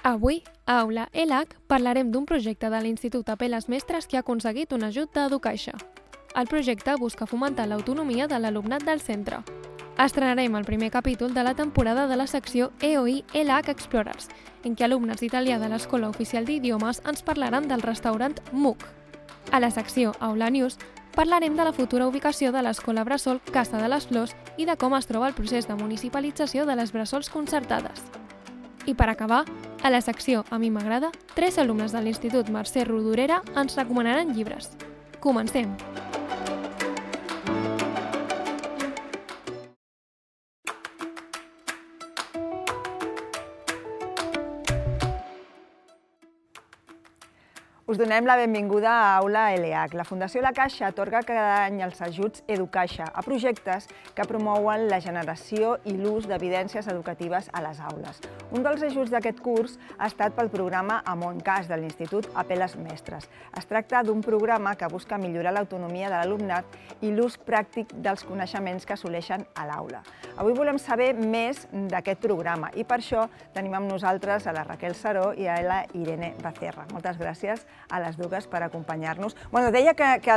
Avui, a Aula ELAC, parlarem d'un projecte de l'Institut Apel·les Mestres que ha aconseguit un ajut d'EduCaixa. El projecte busca fomentar l'autonomia de l'alumnat del centre. Estrenarem el primer capítol de la temporada de la secció EOI ELAC Explorers, en què alumnes d'italià de l'Escola Oficial d'Idiomes ens parlaran del restaurant MOOC. A la secció Aula News parlarem de la futura ubicació de l'Escola Bressol Casa de les Flors i de com es troba el procés de municipalització de les bressols concertades. I per acabar, a la secció A mi m'agrada, 3 alumnes de l'Institut Mercè Rodoreda ens recomanaran llibres. Comencem! Us donem la benvinguda a Aula ELAC. La Fundació La Caixa atorga cada any els ajuts EduCaixa a projectes que promouen la generació i l'ús d'evidències educatives a les aules. Un dels ajuts d'aquest curs ha estat pel programa AMONCAS de l'Institut Apel·les Mestres. Es tracta d'un programa que busca millorar l'autonomia de l'alumnat i l'ús pràctic dels coneixements que assoleixen a l'aula. Avui volem saber més d'aquest programa i per això tenim amb nosaltres a la Raquel Saró i a la Irene Becerra. Moltes gràcies a les dues per acompanyar-nos. Deia que aquest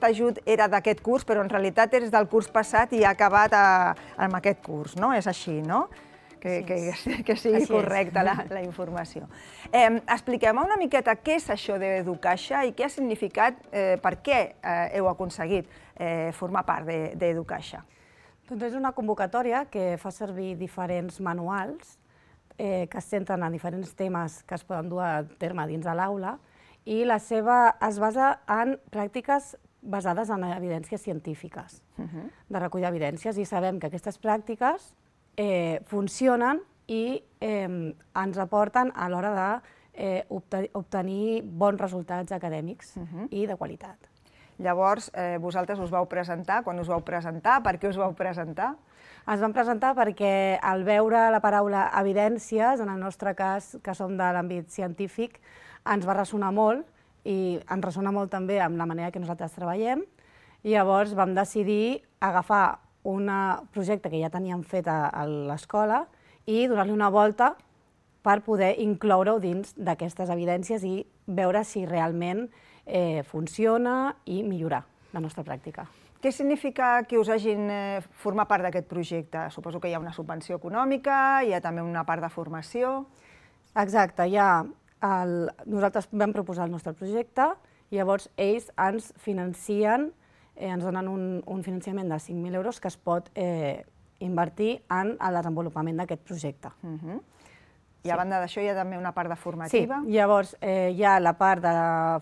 ajut era d'aquest curs, però en realitat és del curs passat i ha acabat amb aquest curs, no? És així, no? Que sigui correcta la informació. Expliquem una miqueta què és això d'EduCaixa i què ha significat, per què heu aconseguit formar part d'EduCaixa. Doncs és una convocatòria que fa servir diferents manuals que es centren en diferents temes que es poden dur a terme dins de l'aula i es basa en pràctiques basades en evidències científiques, de recull d'evidències, i sabem que aquestes pràctiques funcionen i ens aporten a l'hora d'obtenir bons resultats acadèmics i de qualitat. Llavors, vosaltres us vau presentar, quan us vau presentar, per què us vau presentar? Ens vam presentar perquè al veure la paraula evidències, en el nostre cas, que som de l'àmbit científic, ens va ressonar molt i ens ressona molt també amb la manera que nosaltres treballem. I llavors vam decidir agafar un projecte que ja teníem fet a l'escola i donar-li una volta per poder incloure-ho dins d'aquestes evidències i veure si realment funciona i millorar la nostra pràctica. Què significa que us hagin format part d'aquest projecte? Suposo que hi ha una subvenció econòmica, hi ha també una part de formació. Exacte, nosaltres vam proposar el nostre projecte i llavors ells ens financen, ens donen un finançament de 5.000 euros que es pot invertir en el desenvolupament d'aquest projecte. I a banda d'això hi ha també una part de formativa? Sí, llavors hi ha la part de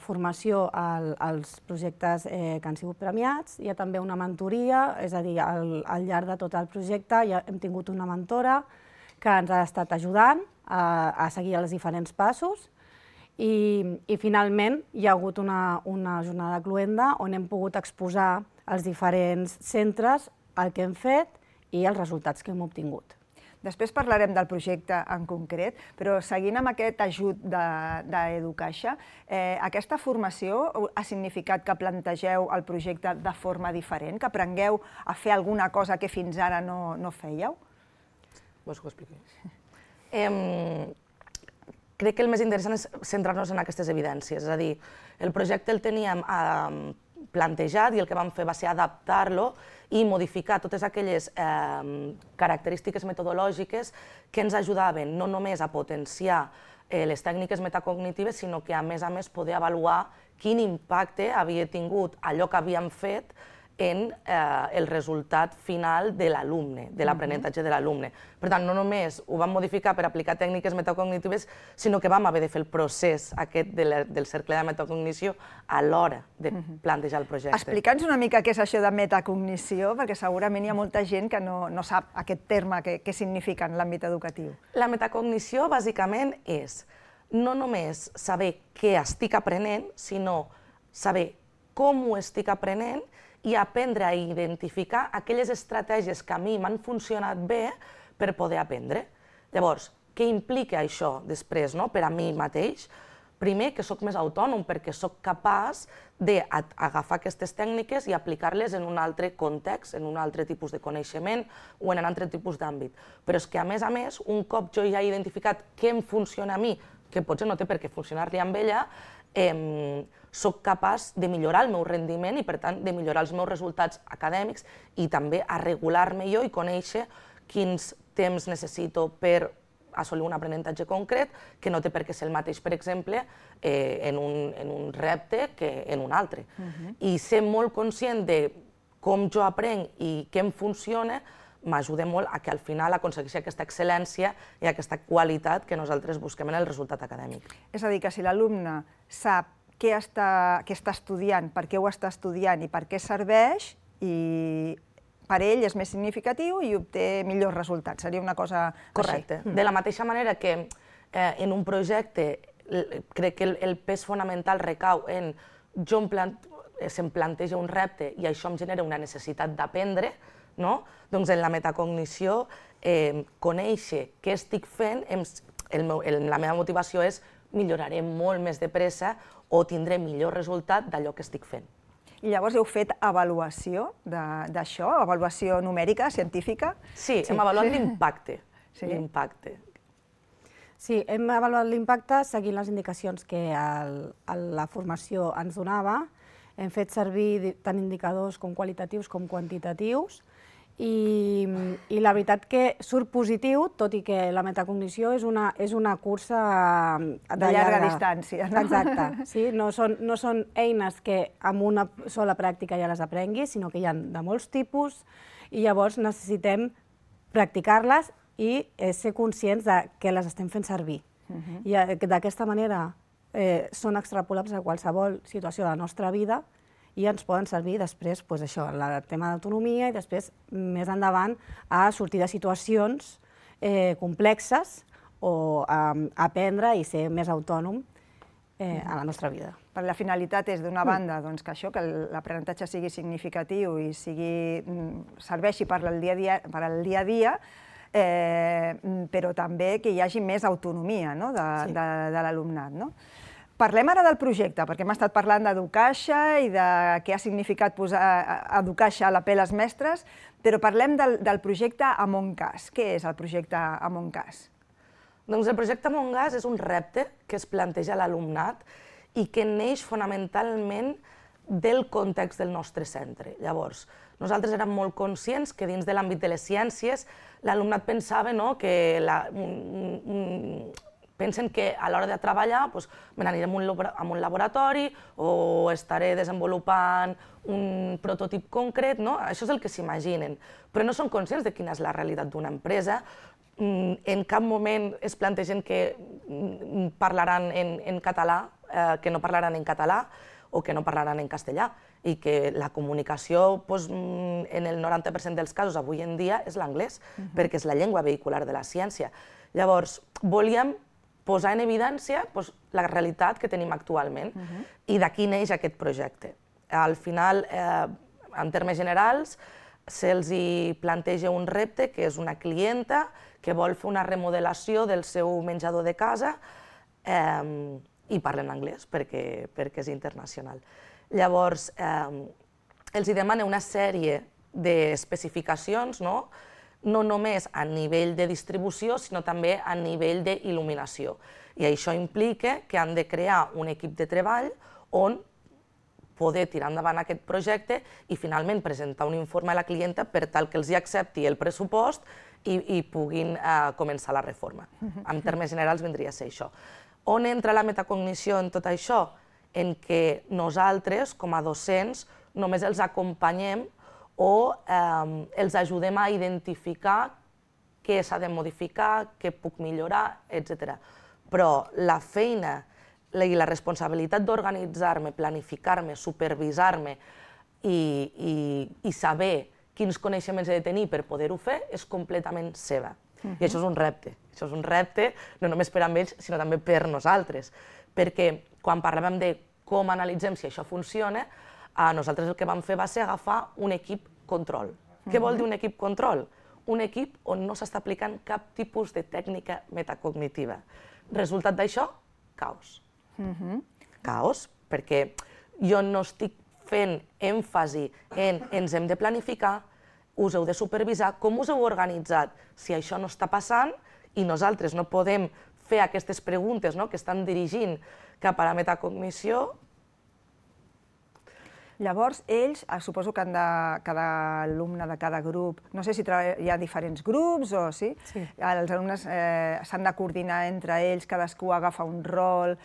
formació als projectes que han sigut premiats, hi ha també una mentoria, és a dir, al llarg de tot el projecte hem tingut una mentora que ens ha estat ajudant a seguir els diferents passos i finalment hi ha hagut una jornada cloenda on hem pogut exposar als diferents centres el que hem fet i els resultats que hem obtingut. Després parlarem del projecte en concret, però seguint amb aquest ajut d'EduCaixa, aquesta formació ha significat que plantegeu el projecte de forma diferent, que aprengueu a fer alguna cosa que fins ara no fèieu? Vols que ho expliqui? Crec que el més interessant és centrar-nos en aquestes evidències, és a dir, el projecte el teníem plantejat i el que vam fer va ser adaptar-lo i modificar totes aquelles característiques metodològiques que ens ajudaven no només a potenciar les tècniques metacognitives, sinó que a més poder avaluar quin impacte havia tingut allò que havíem fet en el resultat final de l'alumne, de l'aprenentatge de l'alumne. Per tant, no només ho vam modificar per aplicar tècniques metacognitives, sinó que vam haver de fer el procés aquest del cercle de metacognició a l'hora de plantejar el projecte. Explica'ns una mica què és això de metacognició, perquè segurament hi ha molta gent que no sap aquest terme, què significa en l'àmbit educatiu. La metacognició, bàsicament, és no només saber què estic aprenent, sinó saber com ho estic aprenent i aprendre a identificar aquelles estratègies que a mi m'han funcionat bé per poder aprendre. Llavors, què implica això després per a mi mateix? primer, que sóc més autònom, perquè sóc capaç d'agafar aquestes tècniques i aplicar-les en un altre context, en un altre tipus de coneixement o en un altre tipus d'àmbit. Però és que, a més, un cop jo ja he identificat què em funciona a mi, que potser no té per què funcionar-li amb ella, sóc capaç de millorar el meu rendiment i, per tant, de millorar els meus resultats acadèmics i també a regular-me jo i conèixer quins temps necessito per assolir un aprenentatge concret, que no té per què ser el mateix, per exemple, en un repte que en un altre. I ser molt conscient de com jo aprenc i què em funciona m'ajuda molt a que al final aconsegueixi aquesta excel·lència i aquesta qualitat que nosaltres busquem en el resultat acadèmic. És a dir, que si l'alumne sap què està estudiant, per què ho està estudiant i per què serveix, i per ell és més significatiu i obté millors resultats. Seria una cosa així. Correcte. De la mateixa manera que en un projecte crec que el pes fonamental recau en se'm planteja un repte i això em genera una necessitat d'aprendre, doncs en la metacognició conèixer què estic fent, la meva motivació és milloraré molt més de pressa o tindré millor resultat d'allò que estic fent. I llavors heu fet avaluació d'això, avaluació numèrica, científica? Sí, hem avaluat l'impacte. Sí, hem avaluat l'impacte seguint les indicacions que la formació ens donava. Hem fet servir tant indicadors com qualitatius com quantitatius i la veritat que surt positiu, tot i que la metacognició és una cursa de llarga distància. Exacte, sí? No són eines que amb una sola pràctica ja les aprenguis, sinó que hi ha de molts tipus i llavors necessitem practicar-les i ser conscients que les estem fent servir. I d'aquesta manera són extrapolables a qualsevol situació de la nostra vida i ens poden servir després, el tema d'autonomia i després, més endavant, a sortir de situacions complexes o aprendre i ser més autònom a la nostra vida. La finalitat és, d'una banda, que l'aprenentatge sigui significatiu i serveixi per al dia a dia, però també que hi hagi més autonomia de l'alumnat. Parlem ara del projecte, perquè hem estat parlant d'Educaixa i de què ha significat posar Educaixa a la pell als mestres, però parlem del projecte Among-Us. Què és el projecte Among-Us? Doncs el projecte Among-Us és un repte que es planteja a l'alumnat i que neix fonamentalment del context del nostre centre. Llavors, nosaltres érem molt conscients que dins de l'àmbit de les ciències l'alumnat pensava que pensen que a l'hora de treballar me n'aniré a un laboratori o estaré desenvolupant un prototip concret, això és el que s'imaginen, però no són conscients de quina és la realitat d'una empresa. En cap moment es plantegen que parlaran en català, que no parlaran en català o que no parlaran en castellà i que la comunicació en el 90% dels casos avui en dia és l'anglès, perquè és la llengua vehicular de la ciència. Llavors, volíem posar en evidència la realitat que tenim actualment i d'aquí neix aquest projecte. Al final, en termes generals, se'ls planteja un repte que és una clienta que vol fer una remodelació del seu menjador de casa i parla en anglès perquè és internacional. Llavors, els demana una sèrie d'especificacions, no només a nivell de distribució, sinó també a nivell d'il·luminació. I això implica que han de crear un equip de treball on poder tirar endavant aquest projecte i finalment presentar un informe a la clienta per tal que els accepti el pressupost i puguin començar la reforma. En termes generals vindria a ser això. On entra la metacognició en tot això? En què nosaltres, com a docents, només els acompanyem o els ajudem a identificar què s'ha de modificar, què puc millorar, etc. Però la feina i la responsabilitat d'organitzar-me, planificar-me, supervisar-me i saber quins coneixements he de tenir per poder-ho fer és completament seva. I això és un repte. Això és un repte no només per a ells, sinó també per nosaltres. Perquè quan parlàvem de com analitzem si això funciona, nosaltres el que vam fer va ser agafar un equip control. Què vol dir un equip control? Un equip on no s'està aplicant cap tipus de tècnica metacognitiva. Resultat d'això? Caos. Caos, perquè jo no estic fent èmfasi en ens hem de planificar, us heu de supervisar, com us heu organitzat si això no està passant i nosaltres no podem fer aquestes preguntes que estan dirigint cap a la metacognició. Llavors, ells, suposo que cada alumne de cada grup, no sé si hi ha diferents grups o sí, els alumnes s'han de coordinar entre ells, cadascú agafa un rol,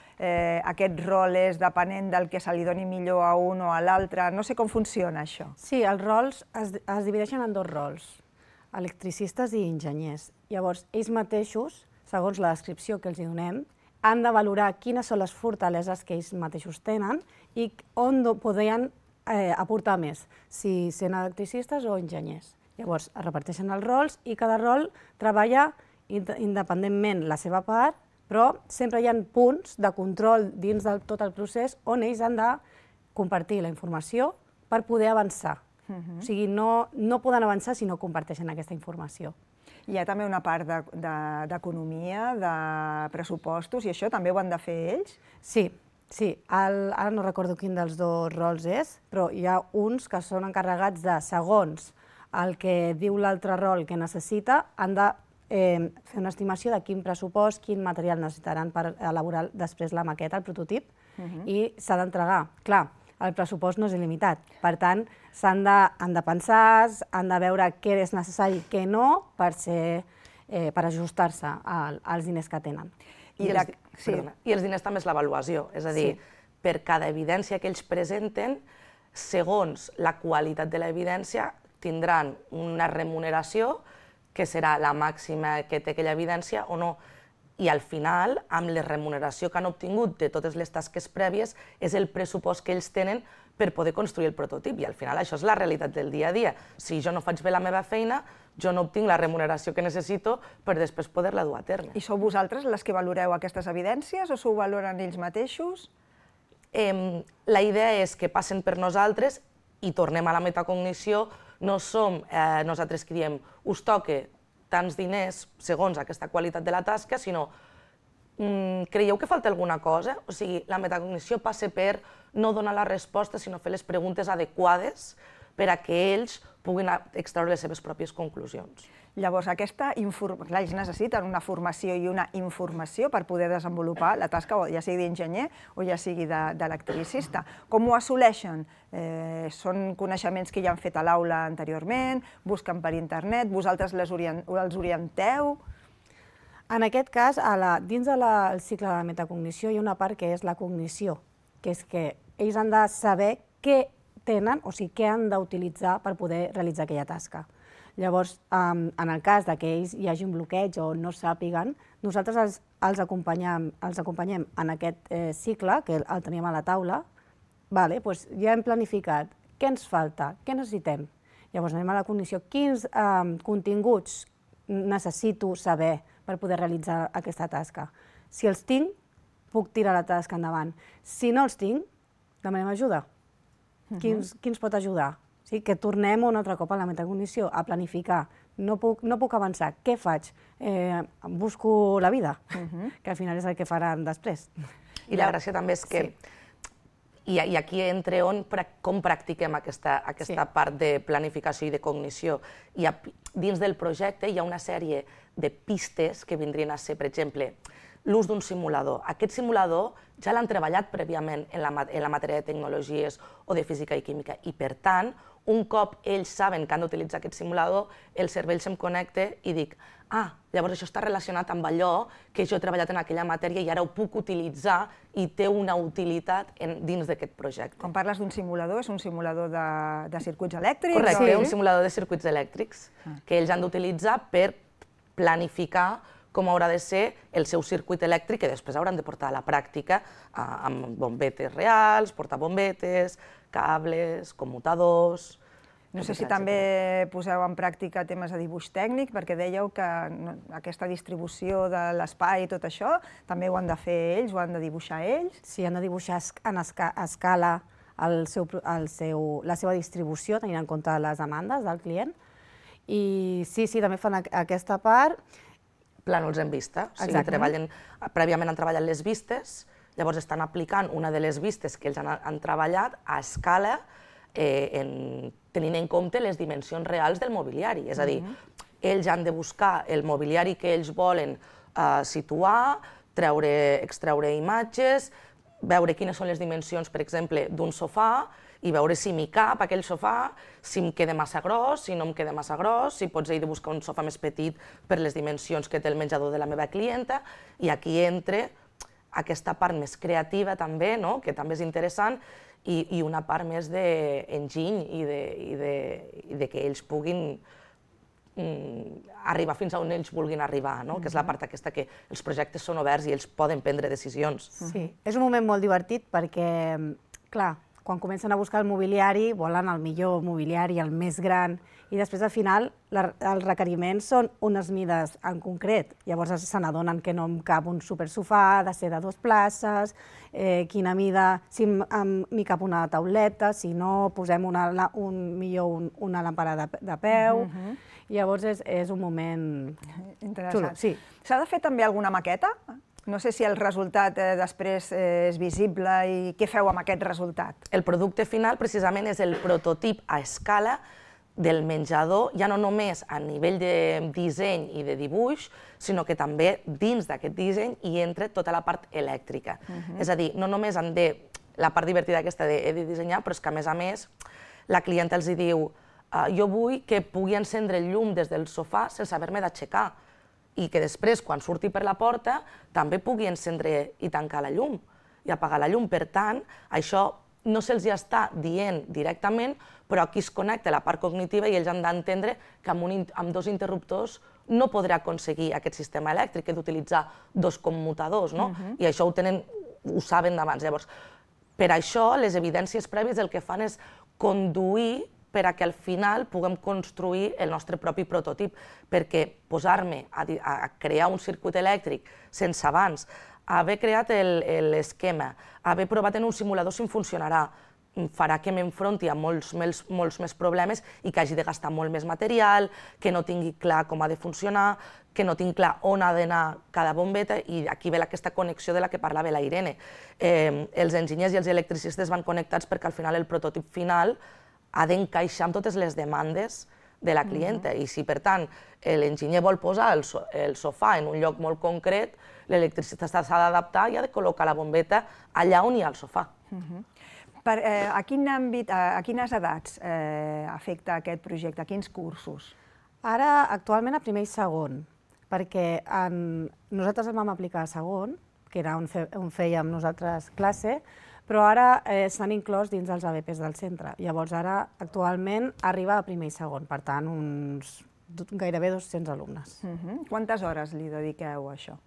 aquest rol és depenent del que se li doni millor a un o a l'altre, no sé com funciona això. Sí, els rols es divideixen en dos rols, electricistes i enginyers. Llavors, ells mateixos, segons la descripció que els donem, han de valorar quines són les fortaleses que ells mateixos tenen i on podrien aportar més, si sent electricistes o enginyers. Llavors, es reparteixen els rols i cada rol treballa independentment la seva part, però sempre hi ha punts de control dins de tot el procés on ells han de compartir la informació per poder avançar. O sigui, no poden avançar si no comparteixen aquesta informació. Hi ha també una part d'economia, de pressupostos, i això també ho han de fer ells? Sí, ara no recordo quin dels dos rols és, però hi ha uns que són encarregats de, segons el que diu l'altre rol que necessita, han de fer una estimació de quin pressupost, quin material necessitaran per elaborar després la maqueta, el prototip, i s'ha d'entregar. Clar, el pressupost no és il·limitat, per tant, han de pensar, han de veure què és necessari i què no per ajustar-se als diners que tenen. I els diners també és l'avaluació, és a dir, per cada evidència que ells presenten, segons la qualitat de l'evidència, tindran una remuneració que serà la màxima que té aquella evidència o no. I al final, amb la remuneració que han obtingut de totes les tasques prèvies, és el pressupost que ells tenen per poder construir el prototip. I al final això és la realitat del dia a dia. Si jo no faig bé la meva feina, jo no obtinc la remuneració que necessito per després poder-la dur a terme. I sou vosaltres les que valoreu aquestes evidències o s'ho valoren ells mateixos? La idea és que passen per nosaltres i tornem a la metacognició. No som nosaltres que diem us toca tants diners segons aquesta qualitat de la tasca, sinó creieu que falta alguna cosa? O sigui, la metacognició passa per no donar la resposta, sinó fer les preguntes adequades per a que ells puguin extraure les seves pròpies conclusions. Llavors, ells necessiten una formació i una informació per poder desenvolupar la tasca, ja sigui d'enginyer o ja sigui d'electricista. Com ho assoleixen? Són coneixements que ja han fet a l'aula anteriorment, busquen per internet, vosaltres els orienteu? En aquest cas, dins del cicle de la metacognició hi ha una part que és la cognició, que és que ells han de saber què tenen, o sigui, què han d'utilitzar per poder realitzar aquella tasca. Llavors, en el cas que ells hi hagi un bloqueig o no sàpiguen, nosaltres els acompanyem en aquest cicle, que el teníem a la taula, ja hem planificat què ens falta, què necessitem. Llavors anem a la cognició, quins continguts necessito saber per poder realitzar aquesta tasca. Si els tinc, puc tirar la tasca endavant. Si no els tinc, demanem ajuda. Qui ens pot ajudar? Que tornem un altre cop a la metacognició, a planificar. No puc avançar. Què faig? Busco la vida, que al final és el que faran després. I la gràcia també és que, i aquí entra com practiquem aquesta part de planificació i de cognició. Dins del projecte hi ha una sèrie de pistes que vindrien a ser, per exemple, l'ús d'un simulador. Aquest simulador ja l'han treballat prèviament en la matèria de tecnologies o de física i química i, per tant, un cop ells saben que han d'utilitzar aquest simulador, el cervell se'm connecta i dic llavors això està relacionat amb allò que jo he treballat en aquella matèria i ara ho puc utilitzar i té una utilitat dins d'aquest projecte. Quan parles d'un simulador, és un simulador de circuits elèctrics? Correcte, un simulador de circuits elèctrics que ells han d'utilitzar per planificar com haurà de ser el seu circuit elèctric que després hauran de portar a la pràctica amb bombetes reals, portabombetes, cables, commutadors... No sé si també poseu en pràctica temes de dibuix tècnic, perquè dèieu que aquesta distribució de l'espai i tot això també ho han de fer ells, ho han de dibuixar ells? Sí, han de dibuixar a escala la seva distribució, tenint en compte les demandes del client. I sí, també fan aquesta part. Plànols en vista, o sigui, prèviament han treballat les vistes Llavors estan aplicant una de les vistes que ells han treballat a escala tenint en compte les dimensions reals del mobiliari. És a dir, ells han de buscar el mobiliari que ells volen situar, extreure imatges, veure quines són les dimensions, per exemple, d'un sofà i veure si m'hi cap aquell sofà, si em queda massa gros, si no em queda massa gros, si potser he de buscar un sofà més petit per les dimensions que té el menjador de la meva clienta, i aquí entra aquesta part més creativa també, que també és interessant, i una part més d'enginy i de que ells puguin arribar fins a on ells vulguin arribar, que és la part aquesta que els projectes són oberts i ells poden prendre decisions. Sí, és un moment molt divertit perquè, clar, quan comencen a buscar el mobiliari, volen el millor mobiliari, el més gran, i després al final els requeriments són unes mides en concret. Llavors se n'adonen que no em cap un supersofà, ha de ser de 2 places, quina mida, si m'hi cap una tauleta, si no, posem millor una làmpara de peu. Llavors és un moment xulo. S'ha de fer també alguna maqueta? No sé si el resultat després és visible i què feu amb aquest resultat. El producte final precisament és el prototip a escala del menjador, ja no només a nivell de disseny i de dibuix, sinó que també dins d'aquest disseny hi entra tota la part elèctrica. És a dir, no només han de, la part divertida aquesta de he de dissenyar, però és que a més la clienta els diu jo vull que pugui encendre el llum des del sofà sense haver-me d'aixecar i que després, quan surti per la porta, també pugui encendre i tancar la llum i apagar la llum. Per tant, això no se'ls està dient directament, però aquí es connecta la part cognitiva i ells han d'entendre que amb 2 interruptors no podrà aconseguir aquest sistema elèctric, que d'utilitzar 2 commutadors, i això ho saben d'abans. Llavors, per això, les evidències prèvies el que fan és conduir per a que al final puguem construir el nostre propi prototip, perquè posar-me a crear un circuit elèctric sense abans haver creat l'esquema, haver provat en un simulador si em funcionarà, farà que m'enfronti a molts més problemes i que hagi de gastar molt més material, que no tingui clar com ha de funcionar, que no tinc clar on ha d'anar cada bombeta, i aquí ve aquesta connexió de la que parlava la Irene. Els enginyers i els electricistes van connectats perquè al final el prototip final ha d'encaixar amb totes les demandes de la clienta, i si per tant l'enginyer vol posar el sofà en un lloc molt concret, l'electricista s'ha d'adaptar i ha de col·locar la bombeta allà on hi ha el sofà. A quin àmbit, a quines edats afecta aquest projecte, a quins cursos? Ara, actualment, a primer i segon, perquè nosaltres el vam aplicar a segon, que era on fèiem nosaltres classe, però ara s'han inclòs dins els ABPs del centre. Llavors, ara, actualment, arriba a primer i segon, per tant, gairebé 200 alumnes. Quantes hores li dediqueu a això?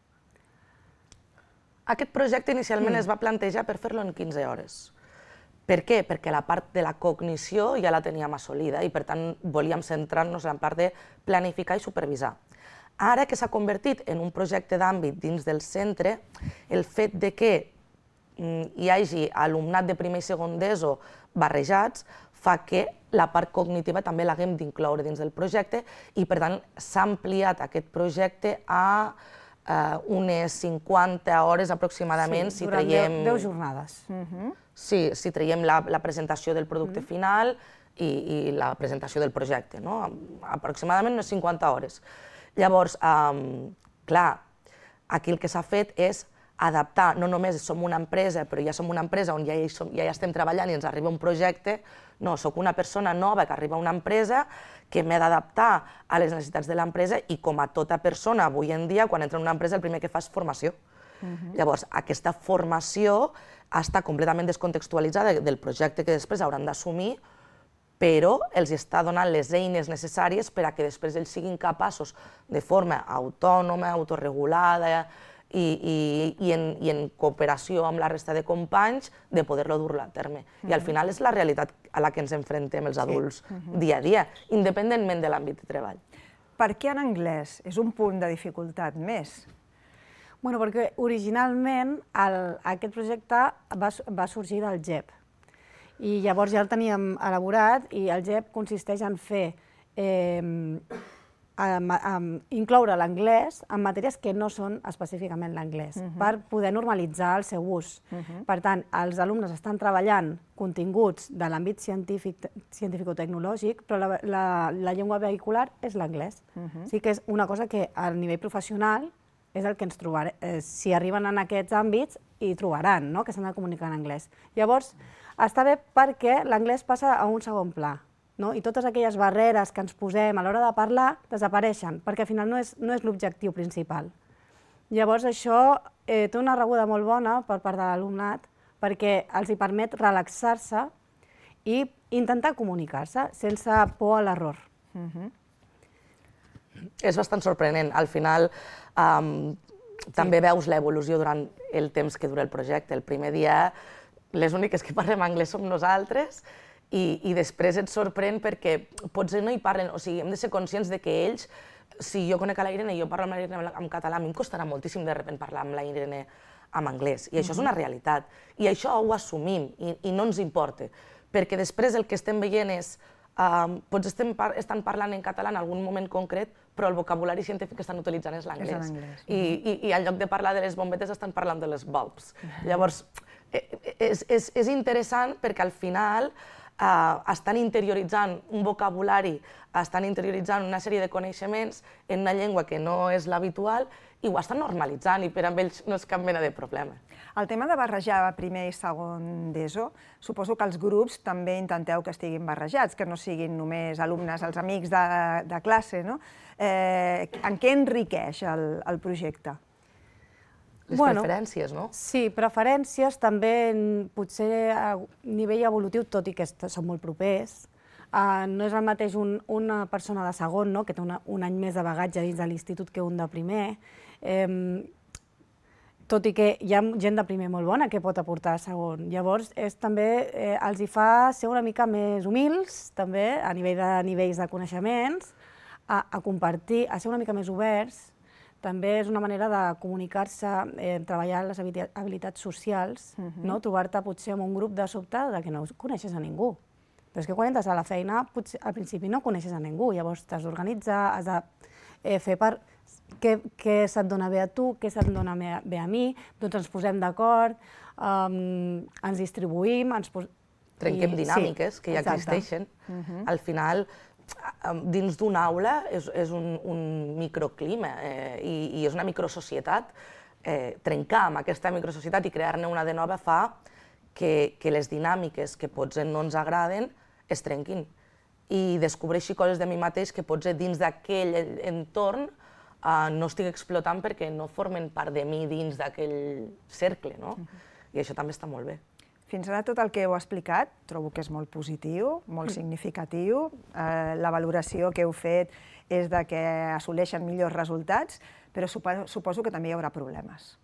Aquest projecte inicialment es va plantejar per fer-lo en 15 hores. Per què? Perquè la part de la cognició ja la teníem assolida i, per tant, volíem centrar-nos en la part de planificar i supervisar. Ara que s'ha convertit en un projecte d'àmbit dins del centre, el fet de que hi hagi alumnat de primer i segon d'ESO barrejats fa que la part cognitiva també l'haguem d'incloure dins del projecte i, per tant, s'ha ampliat aquest projecte a unes 50 hores aproximadament. Sí, durant 10 jornades. Sí, si traiem la presentació del producte final i la presentació del projecte, aproximadament unes 50 hores. Llavors, clar, aquí el que s'ha fet és adaptar, no només som una empresa, però ja som una empresa on ja estem treballant i ens arriba un projecte, no, soc una persona nova que arriba a una empresa que m'he d'adaptar a les necessitats de l'empresa i com a tota persona avui en dia, quan entra en una empresa el primer que fa és formació. Llavors, aquesta formació està completament descontextualitzada del projecte que després hauran d'assumir, però els està donant les eines necessàries per a que després ells siguin capaços de forma autònoma, autorregulada i en cooperació amb la resta de companys de poder-lo dur a terme. I al final és la realitat a la que ens enfrontem els adults dia a dia, independentment de l'àmbit de treball. Per què en anglès? És un punt de dificultat més. Bueno, perquè originalment aquest projecte va sorgir del GEP. I llavors ja el teníem elaborat i el GEP consisteix en fer incloure l'anglès en matèries que no són específicament l'anglès, per poder normalitzar el seu ús. Per tant, els alumnes estan treballant continguts de l'àmbit científico-tecnològic, però la llengua vehicular és l'anglès. Sí que és una cosa que a nivell professional és el que ens trobarem. Si arriben en aquests àmbits, hi trobaran, que s'han de comunicar en anglès. Llavors, està bé perquè l'anglès passa a un segon pla. I totes aquelles barreres que ens posem a l'hora de parlar desapareixen, perquè al final no és l'objectiu principal. Llavors això té una rebuda molt bona per part de l'alumnat, perquè els hi permet relaxar-se i intentar comunicar-se sense por a l'error. És bastant sorprenent. Al final també veus l'evolució durant el temps que dura el projecte. El primer dia les úniques que parlem anglès som nosaltres, i després et sorprèn perquè potser no hi parlen, o sigui, hem de ser conscients de que ells, si jo conec a la Irene i jo parlo amb la Irene en català, a mi em costarà moltíssim de sobte parlar amb la Irene en anglès, i això és una realitat, i això ho assumim, i no ens importa, perquè després el que estem veient és, potser estan parlant en català en algun moment concret, però el vocabulari científic que estan utilitzant és l'anglès, i en lloc de parlar de les bombetes estan parlant de les bulbs. Llavors, és interessant perquè al final estan interioritzant un vocabulari, estan interioritzant una sèrie de coneixements en una llengua que no és l'habitual i ho estan normalitzant i per a ells no és cap mena de problema. El tema de barrejar primer i segon d'ESO, suposo que els grups també intenteu que estiguin barrejats, que no siguin només alumnes, els amics de classe, no? En què enriqueix el projecte? Les preferències, no? Sí, preferències, també potser a nivell evolutiu, tot i que són molt propers. No és el mateix una persona de segon, que té un any més de bagatge dins de l'institut que un de primer, tot i que hi ha gent de primer molt bona que pot aportar a segon. Llavors, també els hi fa ser una mica més humils, també, a nivell de nivells de coneixements, a compartir, a ser una mica més oberts. També és una manera de comunicar-se, treballar les habilitats socials, trobar-te potser en un grup de sobte que no coneixes a ningú. Però és que quan entres a la feina, al principi no coneixes a ningú, llavors t'has d'organitzar, has de fer per què se't dona bé a tu, què se't dona bé a mi, doncs ens posem d'acord, ens distribuïm... Trenquem dinàmiques que ja existeixen. Al final, dins d'una aula és un microclima i és una microsocietat. Trencar amb aquesta microsocietat i crear-ne una de nova fa que les dinàmiques que potser no ens agraden es trenquin i descobreixi coses de mi mateix que potser dins d'aquell entorn no estic explotant perquè no formen part de mi dins d'aquell cercle, no? I això també està molt bé. Fins ara tot el que heu explicat trobo que és molt positiu, molt significatiu. La valoració que heu fet és que assoleixen millors resultats, però suposo que també hi haurà problemes.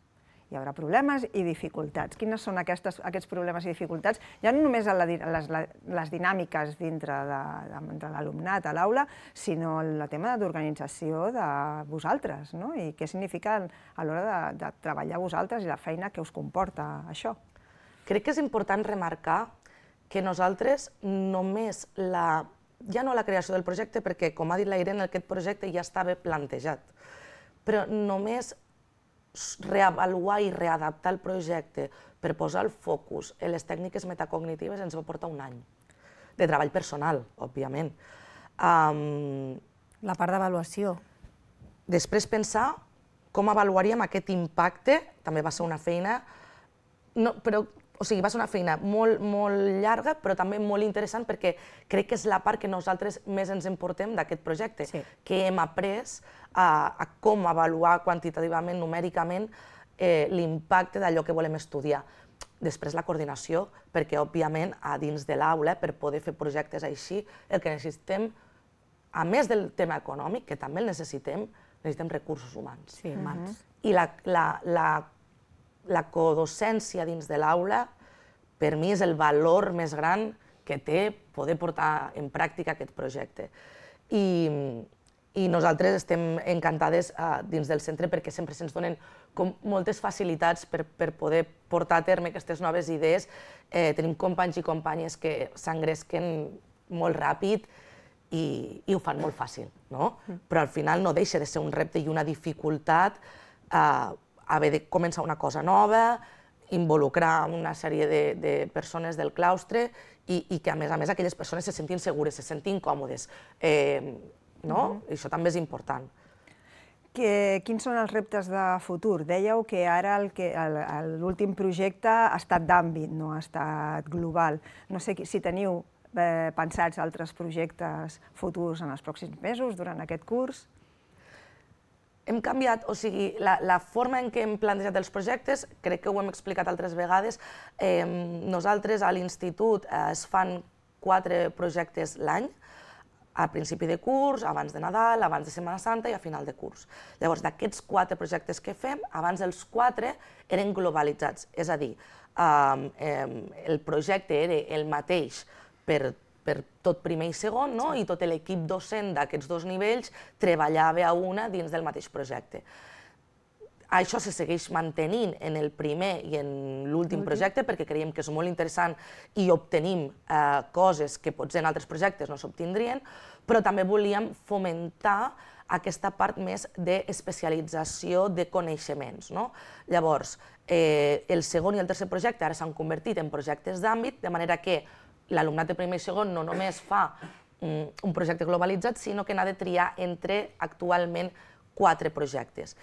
Hi haurà problemes i dificultats. Quines són aquests problemes i dificultats? Ja no només les dinàmiques dintre de l'alumnat a l'aula, sinó el tema d'organització de vosaltres, i què significa a l'hora de treballar vosaltres i la feina que us comporta això. Crec que és important remarcar que nosaltres només ja no la creació del projecte, perquè, com ha dit la Irene, aquest projecte ja estava plantejat, però només reavaluar i readaptar el projecte per posar el focus en les tècniques metacognitives ens va portar un any de treball personal, òbviament. La part d'avaluació. Després pensar com avaluaríem aquest impacte, també va ser una feina, o sigui, va ser una feina molt llarga, però també molt interessant perquè crec que és la part que nosaltres més ens emportem d'aquest projecte, que hem après a com avaluar quantitativament, numèricament, l'impacte d'allò que volem estudiar. Després la coordinació, perquè òbviament a dins de l'aula, per poder fer projectes així, el que necessitem, a més del tema econòmic, que també el necessitem recursos humans. Sí, humans. I la codocència dins de l'aula, per mi, és el valor més gran que té poder portar en pràctica aquest projecte. I nosaltres estem encantades dins del centre perquè sempre se'ns donen moltes facilitats per poder portar a terme aquestes noves idees. Tenim companys i companyes que s'engresquen molt ràpid i ho fan molt fàcil, no? Però al final no deixa de ser un repte i una dificultat haver de començar una cosa nova, involucrar una sèrie de persones del claustre i que, a més, aquelles persones se sentin segures, se sentin còmodes. No? Això també és important. Quins són els reptes de futur? Dèieu que ara l'últim projecte ha estat d'àmbit, no ha estat global. No sé si teniu pensats altres projectes futurs en els pròxims mesos, durant aquest curs? Hem canviat, o sigui, la forma en què hem plantejat els projectes, crec que ho hem explicat altres vegades. Nosaltres a l'institut es fan 4 projectes l'any, a principi de curs, abans de Nadal, abans de Setmana Santa i a final de curs. Llavors, d'aquests 4 projectes que fem, abans els 4 eren globalitzats, és a dir, el projecte era el mateix per tot primer i segon, i tot l'equip docent d'aquests 2 nivells treballava a una dins del mateix projecte. Això se segueix mantenint en el primer i en l'últim projecte perquè creiem que és molt interessant i obtenim coses que potser en altres projectes no s'obtindrien, però també volíem fomentar aquesta part més d'especialització de coneixements. Llavors, el segon i el tercer projecte ara s'han convertit en projectes d'àmbit, de manera que l'alumnat de primer i segon no només fa un projecte globalitzat, sinó que n'ha de triar entre actualment 4 projectes.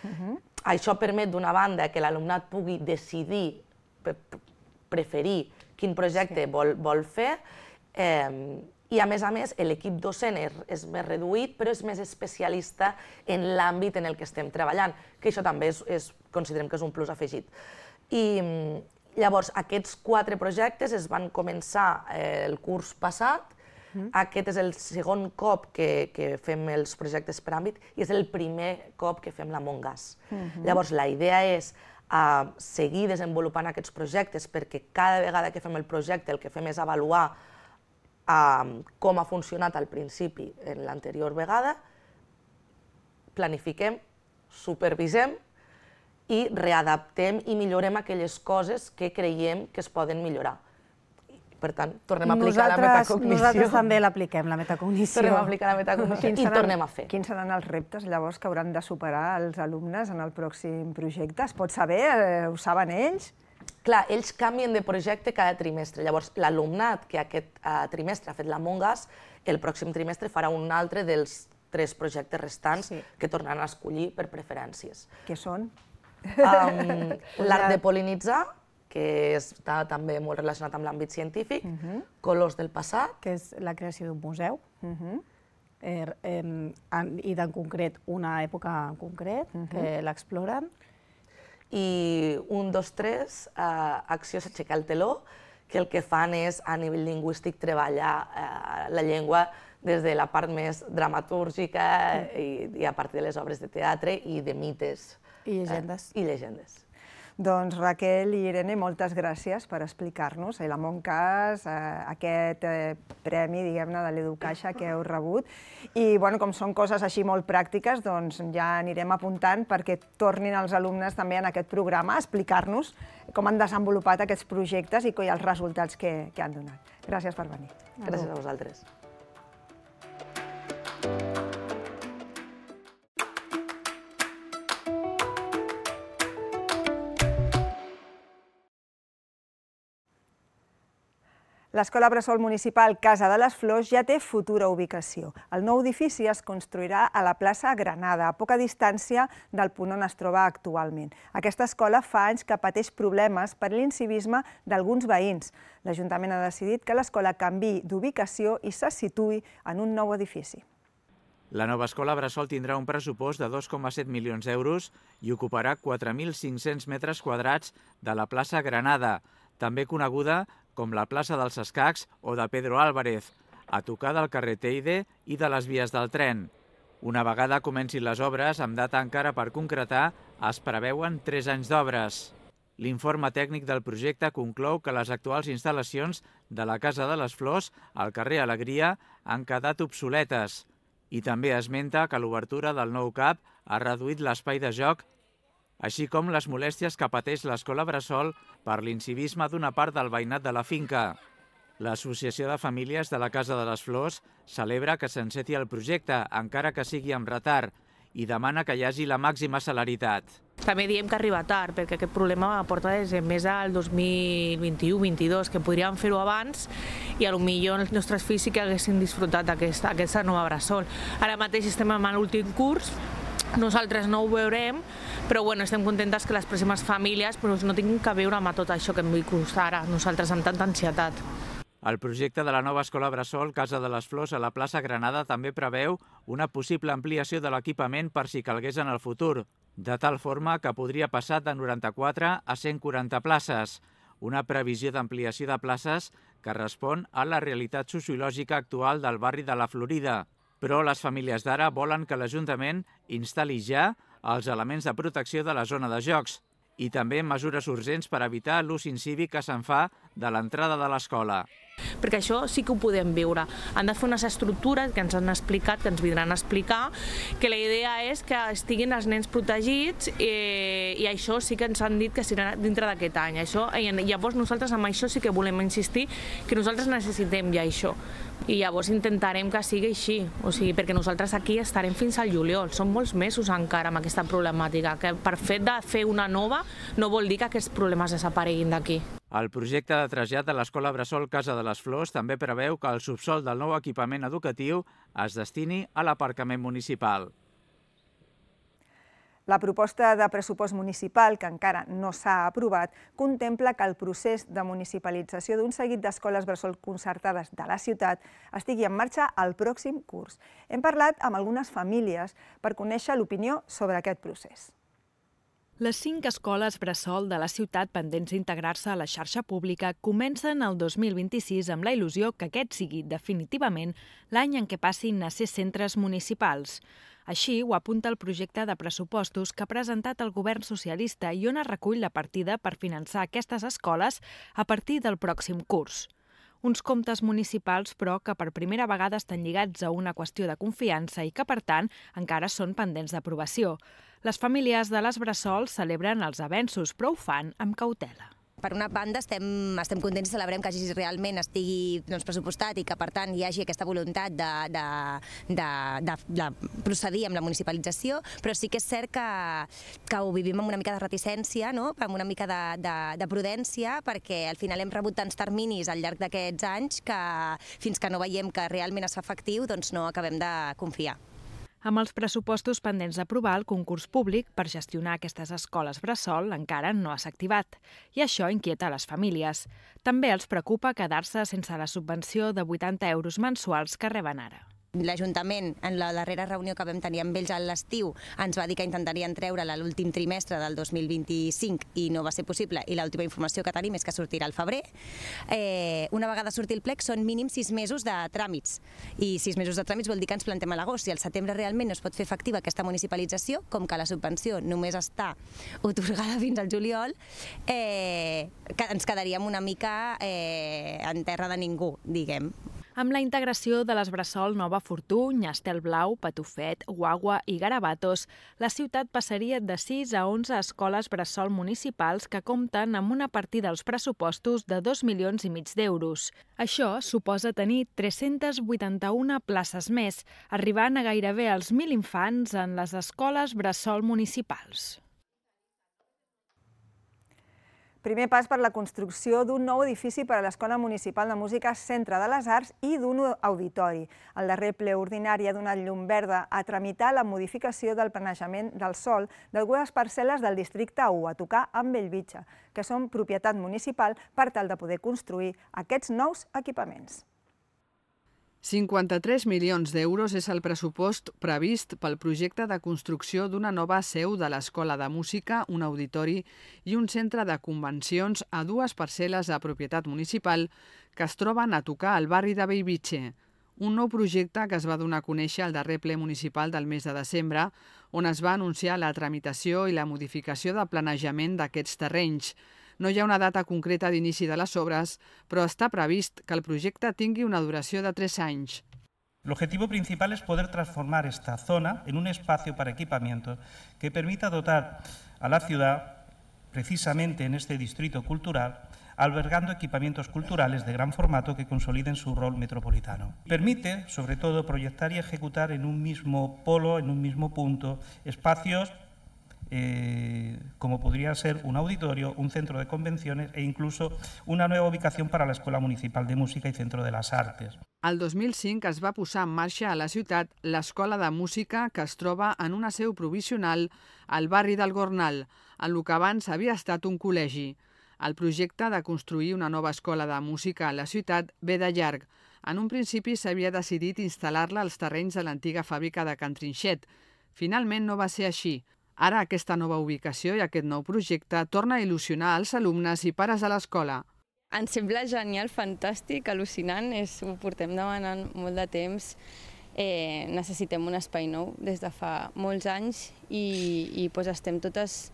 Això permet, d'una banda, que l'alumnat pugui decidir, preferir quin projecte vol fer, i, a més, l'equip docent és més reduït, però és més especialista en l'àmbit en el que estem treballant, que això també considerem que és un plus afegit. I llavors, aquests 4 projectes es van començar el curs passat. Aquest és el segon cop que fem els projectes per àmbit i és el primer cop que fem l'Among Us. Llavors, la idea és seguir desenvolupant aquests projectes perquè cada vegada que fem el projecte el que fem és avaluar com ha funcionat al principi en l'anterior vegada, planifiquem, supervisem i readaptem i millorem aquelles coses que creiem que es poden millorar. Per tant, tornem a aplicar la metacognició. Nosaltres també l'apliquem, la metacognició. Tornem a aplicar la metacognició i tornem a fer. Quins seran els reptes, llavors, que hauran de superar els alumnes en el pròxim projecte? Es pot saber? Ho saben ells? Clar, ells canvien de projecte cada trimestre. Llavors, l'alumnat que aquest trimestre ha fet l'Among Us, el pròxim trimestre farà un altre dels 3 projectes restants que tornaran a escollir per preferències. Què són? L'art de pol·linitzar, que està també molt relacionat amb l'àmbit científic, Colors del passat, que és la creació d'un museu, i en concret una època en concret, que l'exploren. I 1, 2, 3, acció s'aixecar el teló, que el que fan és, a nivell lingüístic, treballar la llengua des de la part més dramatúrgica i a partir de les obres de teatre i de mites. I llegendes. Doncs Raquel i Irene, moltes gràcies per explicar-nos l'Among Us, aquest premi, diguem-ne, de l'Educaixa que heu rebut. I, com són coses així molt pràctiques, doncs ja anirem apuntant perquè tornin els alumnes també en aquest programa a explicar-nos com han desenvolupat aquests projectes i els resultats que han donat. Gràcies per venir. Gràcies a vosaltres. L'Escola Bressol Municipal Casa de les Flors ja té futura ubicació. El nou edifici es construirà a la plaça Granada, a poca distància del punt on es troba actualment. Aquesta escola fa anys que pateix problemes per l'incivisme d'alguns veïns. L'Ajuntament ha decidit que l'escola canviï d'ubicació i se situï en un nou edifici. La nova escola Bressol tindrà un pressupost de 2,7 milions d'euros i ocuparà 4.500 metres quadrats de la plaça Granada, també coneguda com la plaça dels Escacs o de Pedro Álvarez, a tocar del carrer Teide i de les vies del tren. Una vegada comencin les obres, amb data encara per concretar, es preveuen 3 anys d'obres. L'informe tècnic del projecte conclou que les actuals instal·lacions de la Casa de les Flors, al carrer Alegria, han quedat obsoletes. I també esmenta que l'obertura del nou CAP ha reduït l'espai de joc, així com les molèsties que pateix l'escola Bressol per l'incivisme d'una part del veïnat de la finca. L'Associació de Famílies de la Casa de les Flors celebra que s'enceti el projecte, encara que sigui amb retard, i demana que hi hagi la màxima celeritat. També diem que arriba tard, perquè aquest problema porta des de més al 2021-22, que podríem fer-ho abans i potser els nostres fills sí que haguessin disfrutat d'aquesta nova bressol. Ara mateix estem en l'últim curs, nosaltres no ho veurem, però estem contentes que les pròximes famílies no tinguin que veure amb tot això que hem viscut ara, nosaltres amb tanta ansietat. El projecte de la nova escola bressol Casa de les Flors a la plaça Granada també preveu una possible ampliació de l'equipament per si calgués en el futur, de tal forma que podria passar de 94 a 140 places, una previsió d'ampliació de places que respon a la realitat sociològica actual del barri de la Florida. Però les famílies d'ara volen que l'Ajuntament instal·li ja els elements de protecció de la zona de jocs i també mesures urgents per evitar l'ús incívic que se'n fa de l'entrada de l'escola. Perquè això sí que ho podem viure. Han de fer unes estructures que ens han explicat, que ens vindran a explicar, que la idea és que estiguin els nens protegits i això sí que ens han dit que serà dintre d'aquest any. Llavors nosaltres amb això sí que volem insistir que nosaltres necessitem ja això. I llavors intentarem que sigui així, perquè nosaltres aquí estarem fins al juliol. Són molts mesos encara amb aquesta problemàtica, que per fet de fer una nova no vol dir que aquests problemes desapareguin d'aquí. El projecte de trasllat de l'Escola Bressol Casa de les Flors també preveu que el subsòl del nou equipament educatiu es destini a l'aparcament municipal. La proposta de pressupost municipal, que encara no s'ha aprovat, contempla que el procés de municipalització d'un seguit d'escoles bressol concertades de la ciutat estigui en marxa el pròxim curs. Hem parlat amb algunes famílies per conèixer l'opinió sobre aquest procés. Les 5 escoles bressol de la ciutat pendents d'integrar-se a la xarxa pública comencen el 2026 amb la il·lusió que aquest sigui definitivament l'any en què passin a ser centres municipals. Així ho apunta el projecte de pressupostos que ha presentat el govern socialista i on es recull la partida per finançar aquestes escoles a partir del pròxim curs. Uns comptes municipals, però, que per primera vegada estan lligats a una qüestió de confiança i que, per tant, encara són pendents d'aprovació. Les famílies de les bressols celebren els avenços, però ho fan amb cautela. Per una banda, estem contents i celebrem que realment estigui pressupostat i que, per tant, hi hagi aquesta voluntat de procedir amb la municipalització, però sí que és cert que ho vivim amb una mica de reticència, amb una mica de prudència, perquè al final hem rebut tants terminis al llarg d'aquests anys que fins que no veiem que realment es fa efectiu, doncs no acabem de confiar. Amb els pressupostos pendents d'aprovar, el concurs públic per gestionar aquestes escoles bressol encara no s'ha activat, i això inquieta les famílies. També els preocupa quedar-se sense la subvenció de 80 euros mensuals que reben ara. L'Ajuntament, en la darrera reunió que vam tenir amb ells a l'estiu, ens va dir que intentarien treure-la l'últim trimestre del 2025 i no va ser possible, i l'última informació que tenim és que sortirà al febrer. Una vegada surti el plec són mínim 6 mesos de tràmits, i 6 mesos de tràmits vol dir que ens plantem a l'agost. Si al setembre realment no es pot fer efectiva aquesta municipalització, com que la subvenció només està atorgada fins al juliol, ens quedaríem una mica en terra de ningú, diguem. Amb la integració de les bressol Nova Fortuny, Estelblau, Patufet, Guagua i Garabatos, la ciutat passaria de 6 a 11 escoles bressol municipals que compten amb una partida als pressupostos de 2,5 milions d'euros. Això suposa tenir 381 places més, arribant a gairebé als 1.000 infants en les escoles bressol municipals. Primer pas per la construcció d'un nou edifici per a l'Escola Municipal de Música Centre de les Arts i d'un auditori. El darrer ple ordinari ha donat llum verda a tramitar la modificació del planejament del sòl d'algunes parcel·les del districte 1 a tocar amb Bellvitge, que són propietat municipal per tal de poder construir aquests nous equipaments. 53 milions d'euros és el pressupost previst pel projecte de construcció d'una nova seu de l'Escola de Música, un auditori i un centre de convencions a 2 parcel·les de propietat municipal que es troben a tocar al barri de Bellvitge. Un nou projecte que es va donar a conèixer al darrer ple municipal del mes de desembre, on es va anunciar la tramitació i la modificació de planejament d'aquests terrenys. No hi ha una data concreta d'inici de les obres, però està previst que el projecte tingui una duració de 3 anys. El objetivo principal es poder transformar esta zona en un espacio para equipamiento que permita dotar a la ciudad, precisamente en este distrito cultural, albergando equipamientos culturales de gran formato que consoliden su rol metropolitano. Permite, sobre todo, proyectar y ejecutar en un mismo polo, en un mismo punto, espacios como podría ser un auditorio, un centro de convenciones e incluso una nueva ubicación para la Escuela Municipal de Música i Centro de les Artes. El 2005 es va posar en marxa a la ciutat l'Escola de Música, que es troba en una seu provisional al barri del Gornal, en el que abans havia estat un col·legi. El projecte de construir una nova escola de música a la ciutat ve de llarg. En un principi s'havia decidit instal·lar-la als terrenys de l'antiga fàbrica de Can Trinxet. Finalment no va ser així. Ara aquesta nova ubicació i aquest nou projecte torna a il·lusionar els alumnes i pares de l'escola. Ens sembla genial, fantàstic, al·lucinant, ho portem demanant molt de temps. Necessitem un espai nou des de fa molts anys i estem totes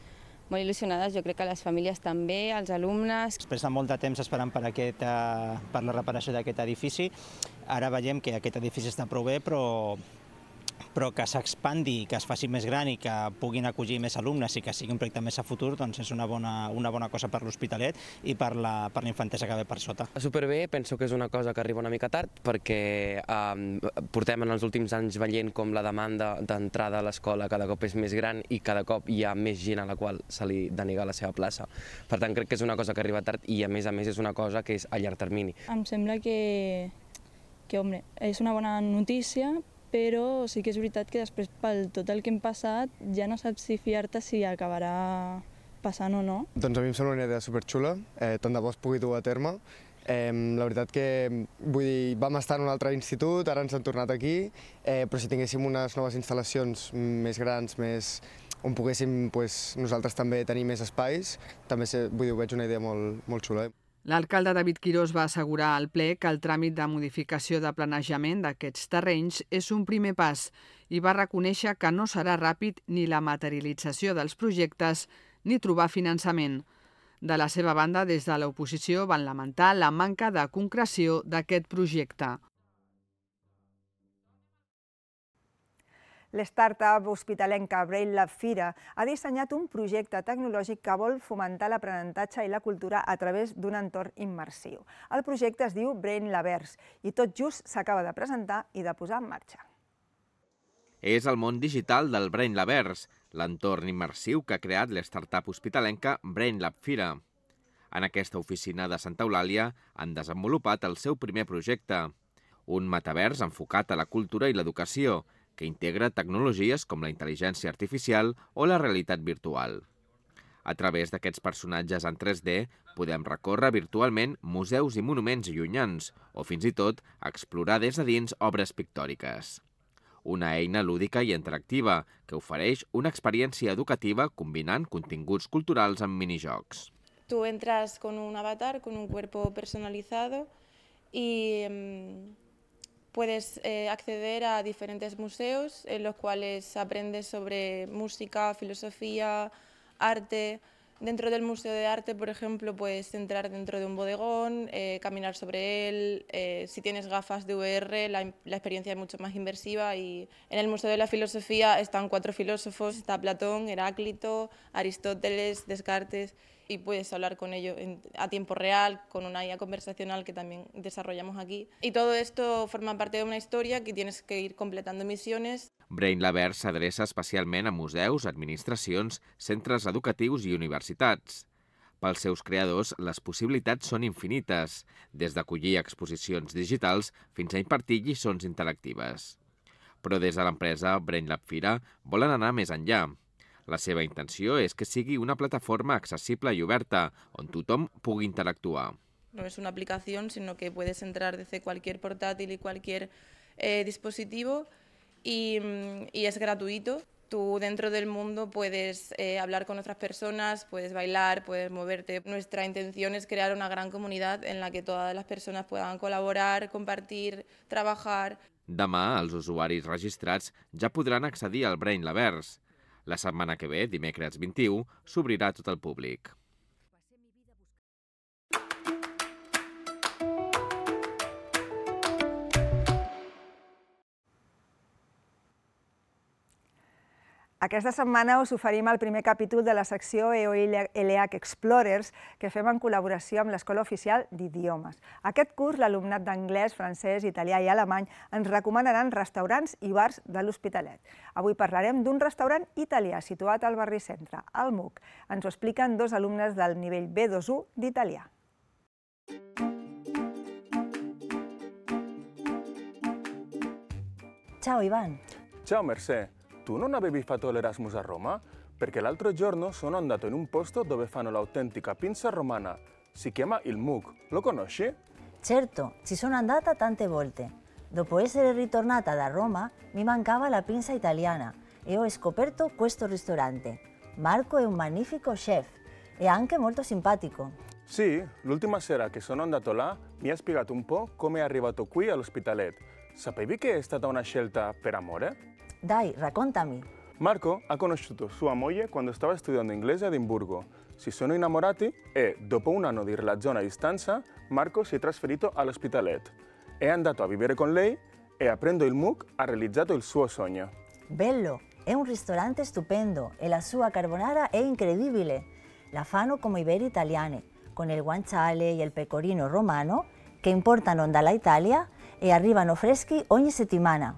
molt il·lusionades, jo crec que les famílies també, els alumnes. Després de molt de temps esperant per la reparació d'aquest edifici, ara veiem que aquest edifici està prou bé, però que s'expandi, que es faci més gran i que puguin acollir més alumnes i que sigui un projecte més a futur, doncs és una bona cosa per l'Hospitalet i per la infantesa que ve per sota. Superbé, penso que és una cosa que arriba una mica tard perquè portem en els últims anys veient com la demanda d'entrada a l'escola cada cop és més gran i cada cop hi ha més gent a la qual se li denega la seva plaça. Per tant, crec que és una cosa que arriba tard i a més és una cosa que és a llarg termini. Em sembla que és una bona notícia, però sí que és veritat que després, per tot el que hem passat, ja no saps si fiar-te si acabarà passant o no. Doncs a mi em sembla una idea superxula, tant de bo es pugui dur a terme. La veritat que, vam estar en un altre institut, ara ens han tornat aquí, però si tinguéssim unes noves instal·lacions més grans, on poguéssim nosaltres també tenir més espais, també ho veig una idea molt xula. L'alcalde David Quirós va assegurar al ple que el tràmit de modificació de planejament d'aquests terrenys és un primer pas i va reconèixer que no serà ràpid ni la materialització dels projectes ni trobar finançament. De la seva banda, des de l'oposició van lamentar la manca de concreció d'aquest projecte. L'startup hospitalenca BrainLab Fira ha dissenyat un projecte tecnològic que vol fomentar l'aprenentatge i la cultura a través d'un entorn immersiu. El projecte es diu BrainLabverse i tot just s'acaba de presentar i de posar en marxa. És el món digital del BrainLabverse, l'entorn immersiu que ha creat l'startup hospitalenca BrainLab Fira. En aquesta oficina de Santa Eulàlia han desenvolupat el seu primer projecte, un metavers enfocat a la cultura i l'educació, que integra tecnologies com la intel·ligència artificial o la realitat virtual. A través d'aquests personatges en 3D podem recórrer virtualment museus i monuments llunyans o fins i tot explorar des de dins obres pictòriques. Una eina lúdica i interactiva que ofereix una experiència educativa combinant continguts culturals amb minijocs. Tú entras con un avatar, con un cuerpo personalizado y puedes acceder a diferentes museos en los cuales aprendes sobre música, filosofía, arte. Dentro del Museo de Arte, por ejemplo, puedes entrar dentro de un bodegón, caminar sobre él. Si tienes gafas de VR, la experiencia es mucho más inmersiva. Y en el Museo de la Filosofía están 4 filósofos, está Platón, Heráclito, Aristóteles, Descartes, y puedes hablar con ellos a tiempo real, con una IA conversacional que también desarrollamos aquí. Y todo esto forma parte de una historia que tienes que ir completando misiones. BrainLabverse s'adreça especialment a museus, administracions, centres educatius i universitats. Pels seus creadors, les possibilitats són infinites, des d'acollir exposicions digitals fins a impartir lliçons interactives. Però des de l'empresa BrainLab Fira volen anar més enllà. La seva intenció és que sigui una plataforma accesible i oberta, on tothom pugui interactuar. No es una aplicación, sino que puedes entrar desde cualquier portátil y cualquier dispositivo y es gratuito. Tú dentro del mundo puedes hablar con otras personas, puedes bailar, puedes moverte. Nuestra intención es crear una gran comunidad en la que todas las personas puedan colaborar, compartir, trabajar. Demà, els usuaris registrats ja podran accedir al BrainLabverse. La setmana que ve, dimecres 21, s'obrirà a tot el públic. Aquesta setmana us oferim el primer capítol de la secció EO-ELEAC Explorers que fem en col·laboració amb l'Escola Oficial d'Idiomes. Aquest curs, l'alumnat d'anglès, francès, italià i alemany ens recomanaran restaurants i bars de l'Hospitalet. Avui parlarem d'un restaurant italià situat al barri centre, al MUC. Ens ho expliquen dos alumnes del nivell B2-1 d'italià. Ciao Ivan. Ciao Mercè. Tu non avevi fatto l'Erasmus a Roma? Perché l'altro giorno sono andato in un posto dove fanno l'autentica pizza romana. Si chiama il MUC. Lo conosci? Certo, ci sono andata tante volte. Dopo essere ritornata da Roma, mi mancava la pizza italiana e ho scoperto questo ristorante. Marco è un magnifico chef e anche molto simpatico. Sì, l'ultima sera che sono andato là mi ha spiegato un po' come è arrivato qui all'Hospitalet. Sapevi che è stata una scelta per amore? Dai, raccontami. Marco ha conosciuto sua moglie quando stava studiando inglese a Edimburgo. Si sono innamorati e, dopo un anno di relazione a distanza, Marco si è trasferito all'Hospitalet. È andato a vivere con lei e, aprendo il MUC, ha realizzato il suo sogno. Bello! È un ristorante stupendo e la sua carbonara è incredibile. La fanno come i veri italiani, con il guanciale e il pecorino romano che importano dall'Italia e arrivano freschi ogni settimana.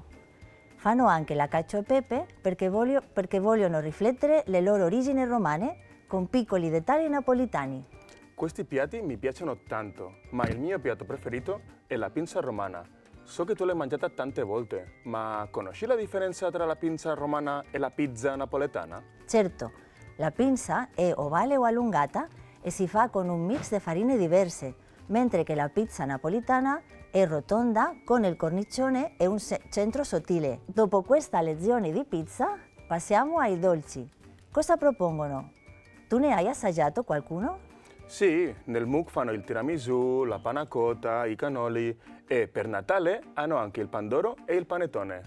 Fanno anche la cacio e pepe perché vogliono riflettere le loro origini romane con piccoli dettagli napolitani. Questi piatti mi piacciono tanto, ma il mio piatto preferito è la pizza romana. So che tu l'hai mangiata tante volte, ma conosci la differenza tra la pizza romana e la pizza napoletana? Certo, la pizza è ovale o allungata e si fa con un mix di farine diverse, mentre che la pizza napolitana è rotonda con il cornicione e un centro sottile. Dopo questa lezione di pizza passiamo ai dolci. Cosa propongono? Tu ne hai assaggiato qualcuno? Sì, nel MUC fanno il tiramisù, la panna cotta, i cannoli e per Natale hanno anche il pandoro e il panettone.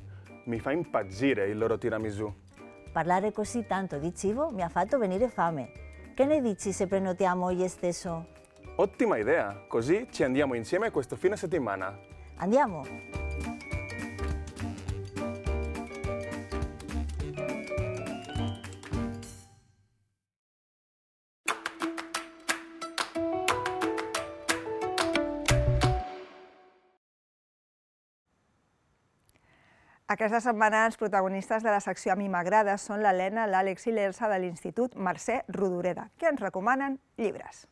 Mi fa impazzire il loro tiramisù. Parlare così tanto di cibo mi ha fatto venire fame. Che ne dici se prenotiamo oggi stesso? Ottima idea, così ci andiamo insieme questo fine settimana. Andiamo! Aquesta setmana els protagonistes de la secció A mi m'agrada són l'Helena, l'Àlex i l'Elsa de l'Institut Mercè Rodoreda, que ens recomanen llibres.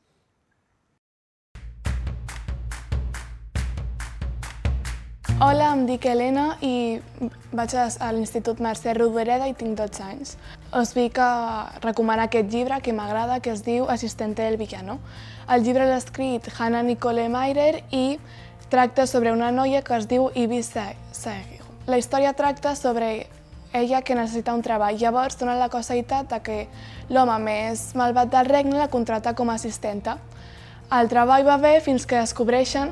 Hola, em dic Helena i vaig a l'Institut Mercè Rodoreda i tinc 12 anys. Us vinc a recomanar aquest llibre que m'agrada, que es diu Asistente del villano. El llibre l'ha escrit Hannah Nicole Meirer i tracta sobre una noia que es diu Ivy Seguí. La història tracta sobre ella que necessita un treball. Llavors dona la casualitat que l'home més malvat del regne la contracta com a assistenta. El treball va bé fins que descobreixen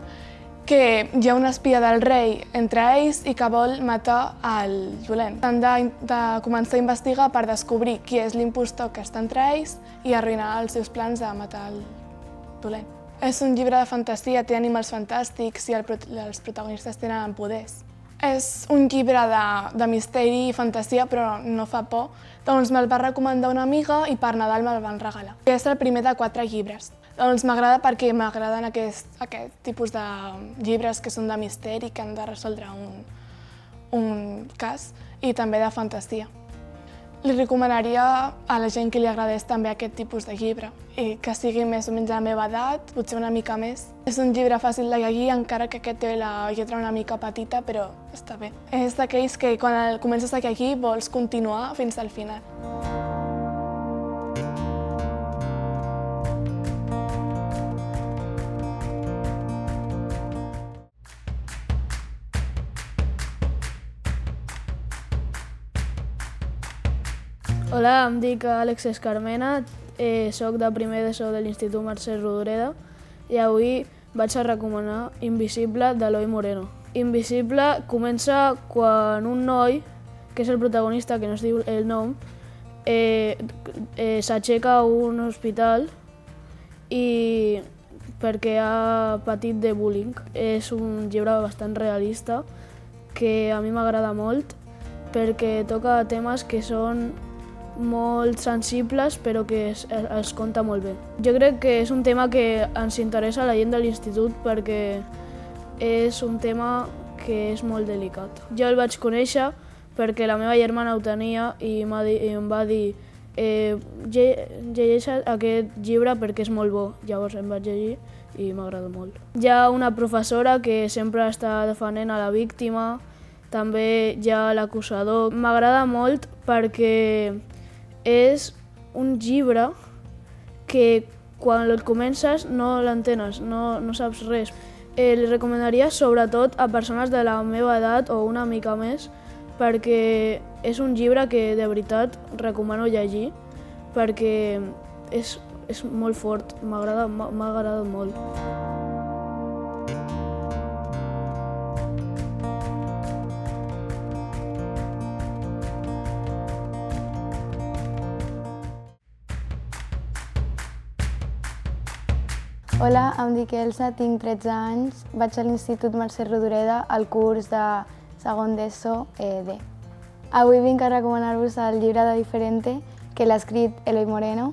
que hi ha una espia del rei entre ells i que vol matar el dolent. Han de començar a investigar per descobrir qui és l'impostor que està entre ells i arruïnar els seus plans de matar el dolent. És un llibre de fantasia, té animals fantàstics i els protagonistes tenen poders. És un llibre de misteri i fantasia, però no fa por. Doncs me'l va recomanar una amiga i per Nadal me'l van regalar. És el primer de 4 llibres. Doncs m'agrada perquè m'agraden aquest tipus de llibres que són de misteri, que han de resoldre un cas, i també de fantasia. Li recomanaria a la gent que li agradés també aquest tipus de llibre, i que sigui més o menys a la meva edat, potser una mica més. És un llibre fàcil de llegir, encara que aquest té la lletra una mica petita, però està bé. És d'aquells que quan comences a llegir vols continuar fins al final. Hola, em dic Àlex Escarmena, soc de primer d'ESO de l'Institut Mercè Rodoreda i avui vaig a recomanar Invisible d'Eloi Moreno. Invisible comença quan un noi, que és el protagonista, que no es diu el nom, s'aixeca a un hospital i perquè ha patit de bullying. És un llibre bastant realista que a mi m'agrada molt perquè toca temes que són molt sensibles, però que es conta molt bé. Jo crec que és un tema que ens interessa a la gent de l'institut perquè és un tema que és molt delicat. Jo el vaig conèixer perquè la meva germana ho tenia i em va dir llegeix aquest llibre perquè és molt bo. Llavors em vaig llegir i m'agrada molt. Hi ha una professora que sempre està defendent a la víctima, també hi ha l'acusador. M'agrada molt perquè és un llibre que quan el comences no l'entenes, no saps res. Li recomanaria sobretot a persones de la meva edat o una mica més perquè és un llibre que de veritat recomano llegir perquè és molt fort, m'ha agradat molt. Hola, em dic Elsa, tinc 13 anys, vaig a l'Institut Mercè Rodoreda al curs de segon d'ESO D. Avui vinc a recomanar-vos el llibre de Diferente, que l'ha escrit Eloi Moreno,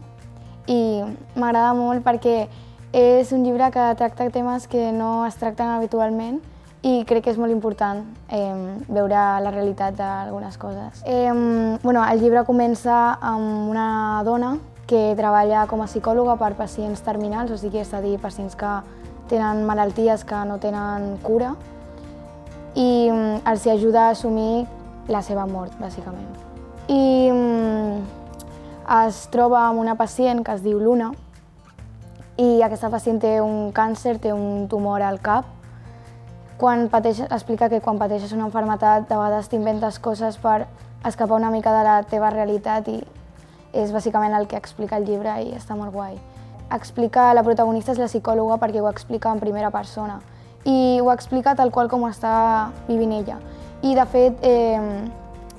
i m'agrada molt perquè és un llibre que tracta temes que no es tracten habitualment i crec que és molt important veure la realitat d'algunes coses. El llibre comença amb una dona que treballa com a psicòloga per pacients terminals, o sigui, és a dir, pacients que tenen malalties que no tenen cura, i els ajuda a assumir la seva mort, bàsicament. I es troba amb una pacient que es diu Luna, i aquesta pacient té un càncer, té un tumor al cap. Explica que quan pateixes una malaltia, de vegades t'inventes coses per escapar una mica de la teva realitat, i és bàsicament el que explica el llibre i està molt guai. La protagonista és la psicòloga perquè ho explica en primera persona i ho explica tal qual com està vivint ella. I de fet,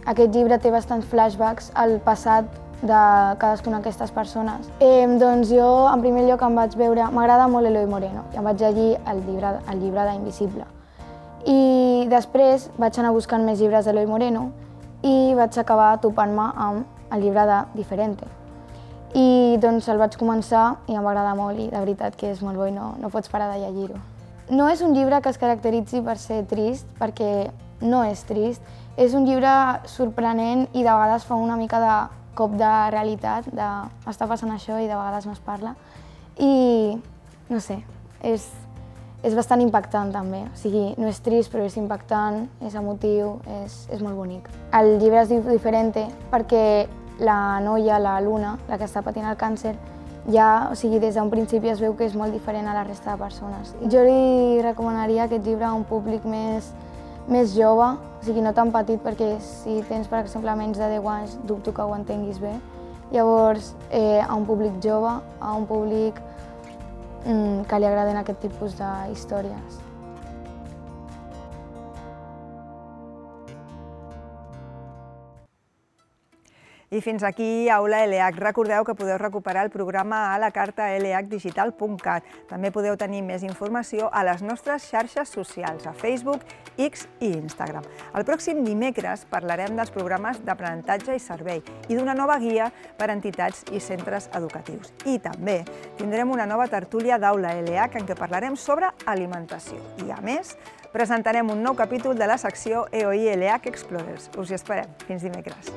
aquest llibre té bastants flashbacks al passat de cadascuna d'aquestes persones. Doncs jo, en primer lloc, m'agrada molt Eloi Moreno i em vaig llegir el llibre d'Invisible. I després vaig anar buscant més llibres d'Eloi Moreno i vaig acabar topant-me amb el llibre de Diferente. I doncs el vaig començar i em va agradar molt i de veritat que és molt bo i no pots parar de llegir-ho. No és un llibre que es caracteritzi per ser trist, perquè no és trist. És un llibre sorprenent i de vegades fa una mica de cop de realitat, de està passant això i de vegades no es parla. I no sé, és bastant impactant també. O sigui, no és trist però és impactant, és emotiu, és molt bonic. El llibre es diu Diferente perquè la noia, la Luna, la que està patint el càncer, ja, o sigui, des d'un principi es veu que és molt diferent a la resta de persones. Jo li recomanaria aquest llibre a un públic més jove, o sigui, no tan petit, perquè si tens, per exemple, menys de 10 anys, dubto que ho entenguis bé. Llavors, a un públic jove, a un públic que li agraden aquest tipus d'històries. I fins aquí Aula LH. Recordeu que podeu recuperar el programa a la carta lhdigital.cat. També podeu tenir més informació a les nostres xarxes socials, a Facebook, X i Instagram. El pròxim dimecres parlarem dels programes d'aprenentatge i servei i d'una nova guia per a entitats i centres educatius. I també tindrem una nova tertúlia d'Aula LH en què parlarem sobre alimentació. I a més, presentarem un nou capítol de la secció EOI LH Explorers. Us hi esperem. Fins dimecres.